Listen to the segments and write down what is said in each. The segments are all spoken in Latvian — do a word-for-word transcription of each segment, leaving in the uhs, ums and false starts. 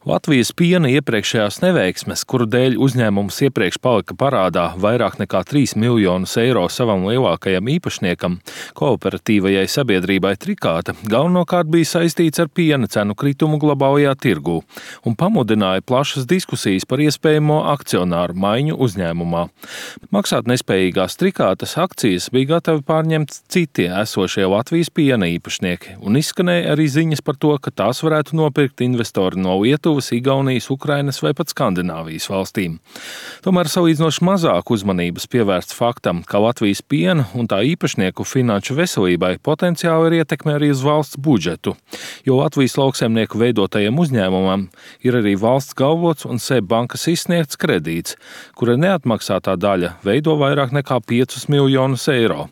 Latvijas piena iepriekšējās neveiksmes, kuru dēļ uzņēmums iepriekš palika parādā vairāk nekā trīs miljonus eiro savam lielākajam īpašniekam, kooperatīvajai sabiedrībai Trikāta, galvenokārt bija saistīts ar piena cenu kritumu globālajā tirgū un pamudināja plašas diskusijas par iespējamo akcionāru maiņu uzņēmumā. Maksātnespējīgās Trikātas akcijas bija gatavi pārņemt citi esošie Latvijas piena īpašnieki, un izskanēja arī ziņas par to, ka tās varētu nopirkt investori no Lietuvas, Igaunijas, Ukrainas vai pat Skandināvijas valstīm. Tomēr salīdzinoši mazāk uzmanības pievērsts faktam, ka Latvijas piena un tā īpašnieku finanšu veselībai potenciāli ir ietekme arī uz valsts budžetu, jo Latvijas lauksaimnieku veidotajam uzņēmumam ir arī valsts galvots un S E B bankas izsniegts kredīts, kura neatmaksātā daļa veido vairāk nekā piecus miljonus eiro.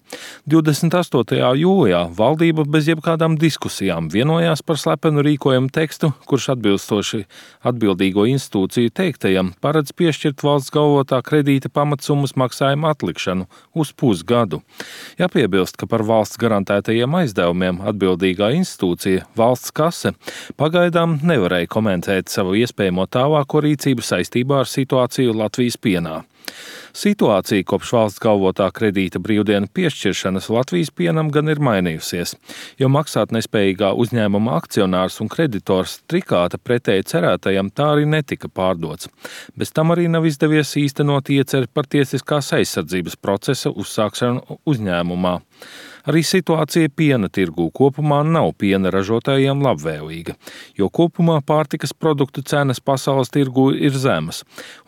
divdesmit astotajā jūlijā valdība bez jebkādām diskusijām vienojās par slepenu rīkojumu tekstu, kurš atbilstoši atbildīgo institūciju teiktajam paredz piešķirt valsts galvotā kredīta pamatsummas maksājumu atlikšanu uz pusgadu. Jāpiebilst, ka par valsts garantētajiem aizdevumiem atbildīgā institūcija, valsts kase, pagaidām nevarēja komentēt savu iespējamo tālāko rīcību saistībā ar situāciju Latvijas pienā. Situācija kopš valsts galvotā kredīta brīvdienu piešķiršanas Latvijas pienam gan ir mainījusies, jo maksātnespējīgā uzņēmuma akcionārs un kreditors Trikāta pretēji cerētajam tā arī netika pārdots. Bez tam arī nav izdevies īstenot ieceri par tiesiskās aizsardzības procesa uzsākšanu uzņēmumā. Arī situācija piena tirgū kopumā nav piena ražotājiem labvēlīga, jo kopumā pārtikas produktu cenas pasaules tirgū ir zemas,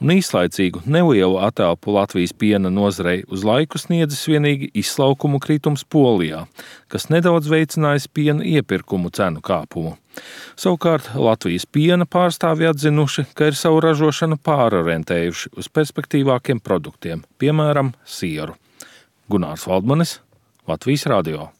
un īslaicīgu nelielu atelpu Latvijas piena nozarei uz laiku sniedzis vienīgi izlaukumu kritums Polijā, kas nedaudz veicinājis piena iepirkumu cenu kāpumu. Savukārt Latvijas piena pārstāvji atzinuši, ka ir savu ražošanu pārorientējuši uz perspektīvākiem produktiem, piemēram, sieru. Gunārs Valdmanis, Latvijas radio.